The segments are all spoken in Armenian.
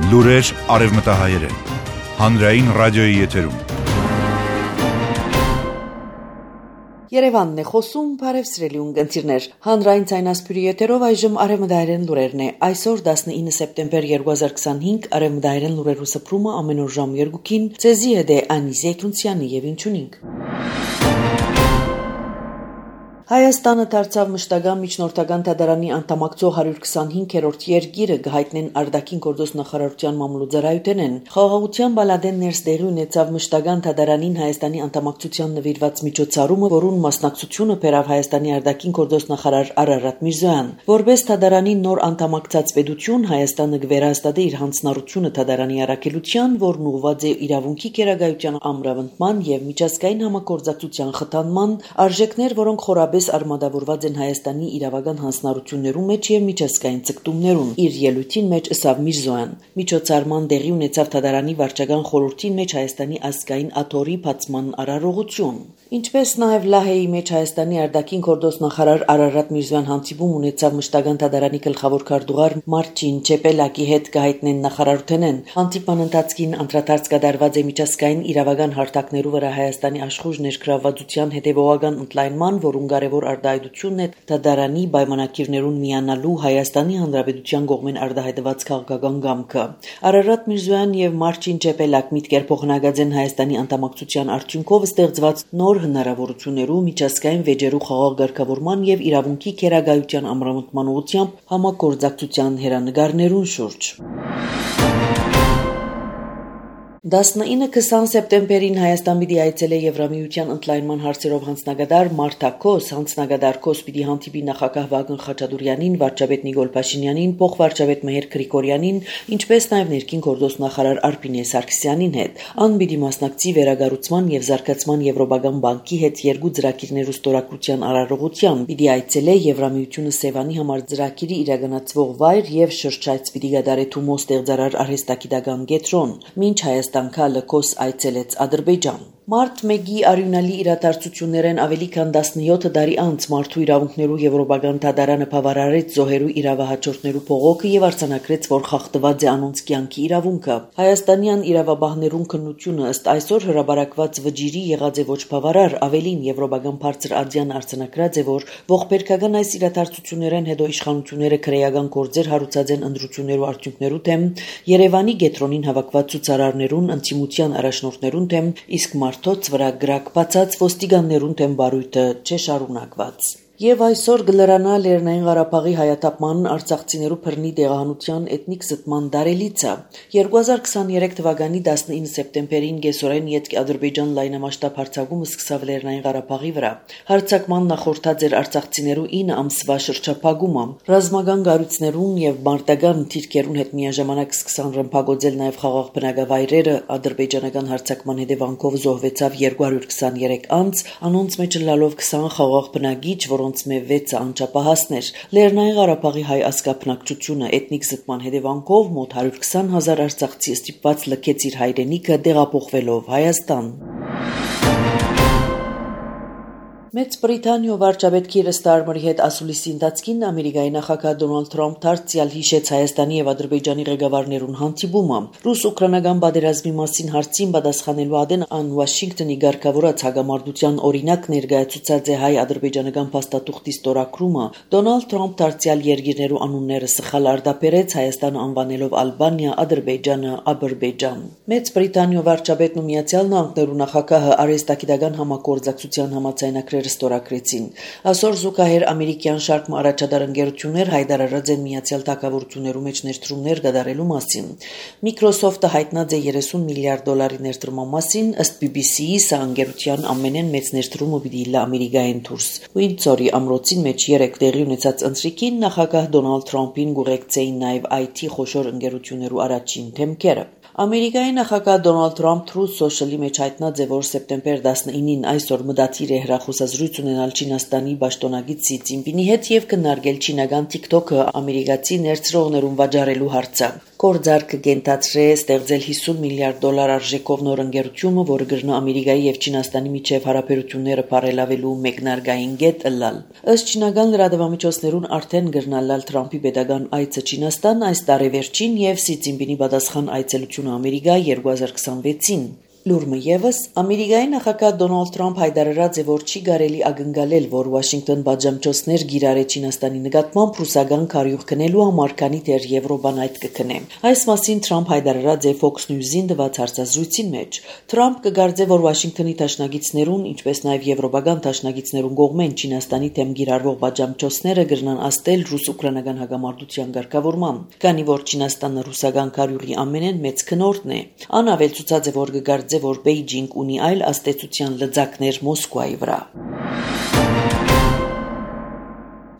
Լուրեր արևմտահայերեն, հանրային ռադիոյի եթերում։ Երևանն է խոսում, բարև սիրելի ունկնդիրներ, հանրային ցայնասպյուրի եթերով այժմ արևմտահայերեն լուրերն է։ Այսօր 19 սեպտեմբեր 2025 արևմտահայերեն լուրերու սփռումը ամեն օր ժամ 2-ին ցեզի հետ է Անիս Եկունցյանի եւ ինչունինք։ Հայաստանը դարձավ մշտական միջնորդական դատարանի անդամակցող 125-րդ երկիրը գահիտնեն արտաքին գործոս նախարարության մամուլուձարայութենեն։ Խաղաղության բալադեն ներսդեղի ունեցավ մշտական դատարանին Հայաստանի անդամակցության նվիրված միջոցառումը, որուն մասնակցությունը բերավ Հայաստանի արտաքին գործոս նախարար Արարատ Միրզոյան։ Որպես դատարանի նոր անդամակցած պետություն Հայաստանը կվերահաստատի իր հանձնառությունը դատարանի առաքելության, որն ուղղված է իրավունքի գերագայության ամրապնդման եւ միջազգային համագործակցության խթանման, արժեքներ, որոնք խորաբես արմատավորված են Հայաստանի իրավական հանձնառություններու մեջ եւ միջազգային ցկտումներուն։ Իր ելույթին մեջ ըսավ Միրզոյան։ Միջոցառման տեղի ունեցավ դատարանի վարչական խորհրդին մեջ Հայաստանի ազգային աթոռի բացման արարողություն։ Ինչպես նաև Լահեի մեջ Հայաստանի արտաքին գործոս նախարար Արարատ Միրզոյան հանդիպում ունեցավ մշտական դատարանի գլխավոր քարտուղար Մարչին Չեպելակի հետ գահիտնեն նախարարութենեն։ Հանդիպման ընթացքին անդրադարձ կատարված է միջազգային իրավական հարթակներու վրա Հայաստանի աշխուժ ներգրավվածության հետևողական ընդլայնման, որուն կարևոր արտահայտությունն է դատարանի պայմանագիրներուն միանալու Հայաստանի Հանրապետության կողմեն արտահայտված քաղաքական կամքը։ Արարատ Միրզոյան եւ Մարչին Չեպելակ միտքեր փոխանակած են Հայաստանի անդամակցության արդյունքով ստեղծված նոր հնարավորություններու միջազգային վեճերու խաղաղ ղեկավարման եւ իրավունքի գերագայության ամրապնդման ուղղությամբ համագործակցության հերանեկարներուն շուրջ։ 19-20 սեպտեմբերին Հայաստան պիտի այցելե Եվրամիության ընդլայնման հարցերով հանձնագետար Մարթա Քոս, հանձնագետար Քոս պիտի հանդիպի նախագահ Վագն Խաչատուրյանին, վարչապետ Նիկոլ Փաշինյանին, փոխվարչապետ Մհեր Գրիգորյանին, ինչպես նաև ներքին գործոս նախարար Արփինե Սարգսյանին հետ։ Ան պիտի մասնակցի վերագառուցման եւ զարգացման Եվրոպական բանկի հետ երկու ծրագիրներու ստորագրության արարողության, պիտի այցելե Եվրամիությունը Սևանի համար ծրագիրի իրականացվող վայր եւ շրջայց պիտի գդարե Թումո ստեղծարար արհեստագիտական կենտրոն։ Մինչ Հայաստան Քոս այցելեց Ադրբեջան։ Մարտ 1-ի արյունալի իրադարձություններեն ավելի քան 17 տարի անց մարդու իրավունքներու Եվրոպական դատարանը բավարարեց զոհերու իրավահաջորդներու փողոքը եւ արձանագրեց, որ խախտված է անոնց կյանքի իրավունքը։ Հայաստանյան իրավաբաններուն քննությունը ըստ այսօր հրաբարակված վճիրի եղած է ոչ բավարար, ավելին Եվրոպական բարձր ադյան արձանագրած է, որ ողբերգական այս իրադարձություններեն հետո իշխանությունները քրեական գործեր հարուցած են ընդրություններու արդյունքներու դեմ, Երևանի գետրոնին հավաքված ցուցարարներուն ընդդիմության առաջնորդներուն դեմ, իսկ մարդոց վրա գրակ բացած ոստիկաններուն դեմ բարույթը չէ շարունակված։ Եվ այսօր գլրանա Լեռնային Ղարաբաղի հայաթափման արցախցիներու բռնի տեղահանության էթնիկ զտման դարելիցը 2023 թվականի 19 սեպտեմբերին գեսորեն յետք Ադրբեջան լայնամասշտաբ հարձակումը սկսավ Լեռնային Ղարաբաղի վրա։ Հարձակման նախորդած էր արցախցիներու 9 ամսվա շրջափակումը։ Ռազմական գառույցներուն եւ մարտական թիրքերուն հետ միաժամանակ սկսան ռմբակոծել նաեւ խաղաղ բնակավայրերը։ Ադրբեջանական հարձակման հետևանքով զոհվեցավ 223 անձ, անոնց մեջ լալով 20 խաղաղ բնակիչ, որոնց մե 6-ը անչափահասներ։ Լեռնային Ղարաբաղի հայ ազգաբնակչությունը էթնիկ զտման հետևանքով մոտ 120,000 արցախցի ստիպված լքեց իր հայրենիքը տեղափոխվելով Հայաստան։ Մեծ Բրիտանիա վարչապետ Քիր Ստարմերի հետ ասուլիսի ընթացքին Ամերիկայի նախագահ Դոնալդ Թրամփ դարձյալ հիշեց Հայաստանի եւ Ադրբեջանի ղեկավարներուն հանդիպումը։ Ռուս-ուկրաինական պատերազմի մասին հարցին պատասխանելու ադեն ան Վաշինգտոնի ղեկավարած հագամարտության օրինակ ներկայացուցած է հայ-ադրբեջանական փաստաթուղթի ստորագրումը։ Դոնալդ Թրամփ դարձյալ երկիրներու անունները սխալ արտաբերեց, Հայաստանը անվանելով Ալբանիա, Ադրբեջանը Աբերբեջան։ Մեծ Բրիտանիա վարչապետն ու Միացյալ Նահանգներու նախագահը արհեստագիտական համագործակցության համաձայնագրեր ստորագրեցին։ Այսօր զուգահեռ ամերիկյան շարք առաջադար ընկերություններ հայտարարած են Միացյալ Թագավորություններու մեջ ներդրումներ կատարելու մասին։ Microsoft-ը հայտնած է $30 միլիարդ ներդրման մասին, ըստ BBC-ի սա ընկերության ամենեն մեծ ներդրումը պիտի լա Ամերիկայեն դուրս։ Ուինձորի ամրոցին մեջ 3 տեղի ունեցած ընթրիքին նախագահ Դոնալդ Թրամփին գուղեկցեին նաև IT խոշոր ընկերություններու առաջին թեմքերը։ Ամերիկայի նախագահ Դոնալդ Թրամփ Truth Social-ի մեջ հայտնած է, որ սեպտեմբեր 19-ին այսօր մտադիր է հեռախոսազրույց ունենալ Չինաստանի պաշտոնագետ Սի Ցզինպինի հետ եւ քննարկել չինական TikTok-ը ամերիկացի ներծրողներուն վաճառելու հարցը։ Գործարքը կենտացրե ստեղծել $50 միլիարդ արժեքով նոր ընկերություն, որը կգրնա Ամերիկայի եւ Չինաստանի միջև հարաբերությունները բարելավելու մեկնարկային կետ ըլլալ։ Ըստ չինական լրատվամիջոցներուն արդեն կգրնալալ Թրամփի պետական այցը Չինաստան այս տարեվերջին եւ Սի Ցզինպինի պատասխան այցելությունը Ամերիկա 2026-ին։ Լուրը եւս Ամերիկայի նախագահ Դոնալդ Թրամփ հայտարարած է, որ չի կարելի ակնկալել, որ Վաշինգտոն բաժամչոցներ գիրարե Չինաստանի նկատմամբ ռուսական քարյուղ քնելու համար, քանի դեռ Եվրոպան այդ կքնե։ Այս մասին Թրամփ հայտարարած է Fox News-ին տված հարցազրույցին մեջ։ Թրամփ կգարձե, որ Վաշինգտոնի դաշնակիցներուն, ինչպես նաեւ եվրոպական դաշնակիցներուն կողմեն Չինաստանի դեմ գիրարվող բաժամչոցները կգրնան աստել ռուս-ուկրաինական հակամարտության ղեկավարման, քանի որ Չինաստանը ռուսական քարյուղի ամենեն մեծ քնորդն է։ Անավել ցուցած է, որ կգարձե, որ Բեյջինգ ունի այլ աստեցության լծակներ Մոսկվայի վրա։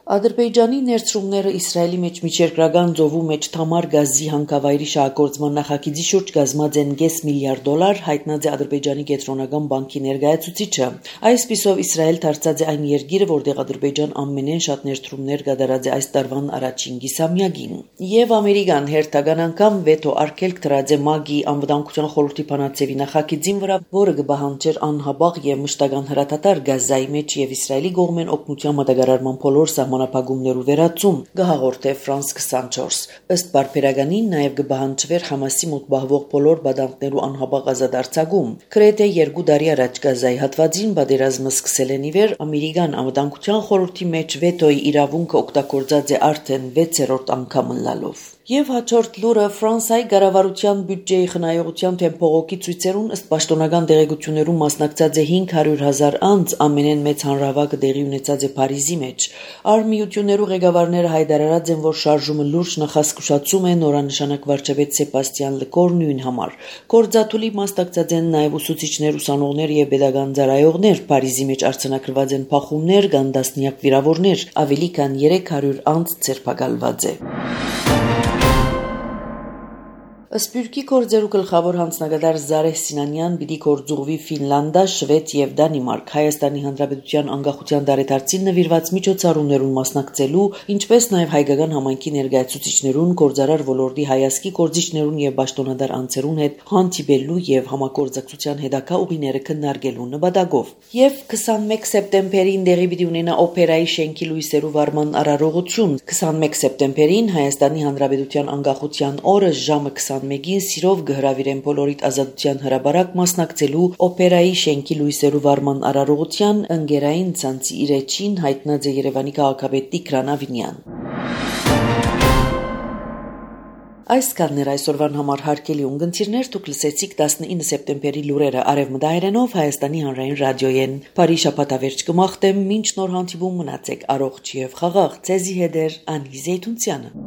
Ադրբեջանի ներծրումները Իսրայելի մեջ միջերկրական ծովու մեջ Թամար գազի հանքավայրի շահագործման նախագիծի շուրջ կազմած են $5 միլիարդ, հայտնած է Ադրբեջանի կենտրոնական բանկի ներկայացուցիչը։ Այսպիսով Իսրայել դարձած է այն երկիրը, որտեղ Ադրբեջան ամենեն շատ ներծրումներ կատարած է այս տարվան առաջին կիսամյակին։ Եվ Ամերիկան հերթական անգամ վետո արգելք դրած է ՄԱԳ-ի անվտանգության խորհրդի բանաձևի նախագիծին վրա, որը կպահանջեր անհապաղ եւ մշտական հրատատար Գազայի մեջ եւ Իսրայելի կողմեն օգնության մատակարարման բոլոր սահմանափակումներու վերացում, կհաղորդե France 24։ Ըստ բարբերականին նաև կպահանջվեր Համասի մոտ պահվող բոլոր բադանքներու անհապաղ ազատ արձակում։ Գրեթե 2 տարի առաջ Գազայի հատվածին պատերազմը սկսել են ի վեր Ամերիկան անվտանգության խորհրդի մեջ վետոյի իրավունքը օգտագործած է արդեն 6-րդ անգամ ըլլալով։ Եվ հաջորդ լուրը Ֆրանսիայի կառավարության բյուջեի խնայողության թեմ փողոքի ցույցերուն ըստ պաշտոնական տեղեկություններուն մասնակցած է 500,000 անձ, ամենեն մեծ հանրահավաքը տեղի ունեցած է Փարիզի մեջ։ Արմիություններու ղեկավարները հայտարարած են, որ շարժումը լուրջ նախազգուշացում է նորանշանակ վարչապետ Սեբաստիան Լեկորնյուին համար։ Գործադուլի մասնակցած են նաև ուսուցիչներ, ուսանողներ եւ pedagogan ծառայողներ։ Փարիզի մեջ արձանագրված են փախումներ, կան տասնյակ վիրավորներ, ավելի քան 300 անձ ձերբակալված է։ Սպյուրքի գործերու գլխավոր հանձնագետար Զարեհ Սինանյան պիտի գործուղվի Ֆինլանդա, Շվեդ եւ Դանիմարկ Հայաստանի Հանրապետության անկախության տարեդարձին նվիրված միջոցառումներուն մասնակցելու, ինչպես նաեւ հայկական համայնքի ներկայացուցիչներուն, գործարար ոլորտի հայազգի գործիչներուն եւ պաշտոնատար անձերուն հետ հանդիպելու եւ համագործակցության հետագա ուղիները քննարկելու նպատակով։ Եւ 21 սեպտեմբերին տեղի պիտի ունենա օպերայի շենքի լույսերու վարման արարողություն։ 21 սեպտեմբերին Հայաստանի Հանրապետության անկախության օրը ժամը 21-ին սիրով կհրավիրեն բոլորիդ ազատության հրապարակ մասնակցելու օպերայի շենքի լույսերու վարման արարողության ընկերային ցանցի իրեջին հայտնած է Երևանի քաղաքապետ Տիգրան Ավինյան։ Այսքանն էր այսօրվան համար հարգելի ունգընտիրներ, դուք լսեցիք 19 սեպտեմբերի լուրերը արևմտահայերենով Հայաստանի հանրային ռադիոյեն։ Բարի շաբաթավերջ կմաղթեմ, մինչ նոր հանդիպում մնացեք առողջ եւ խաղաղ։ Ձեզի հետ է Անի Զեյթունցյանը։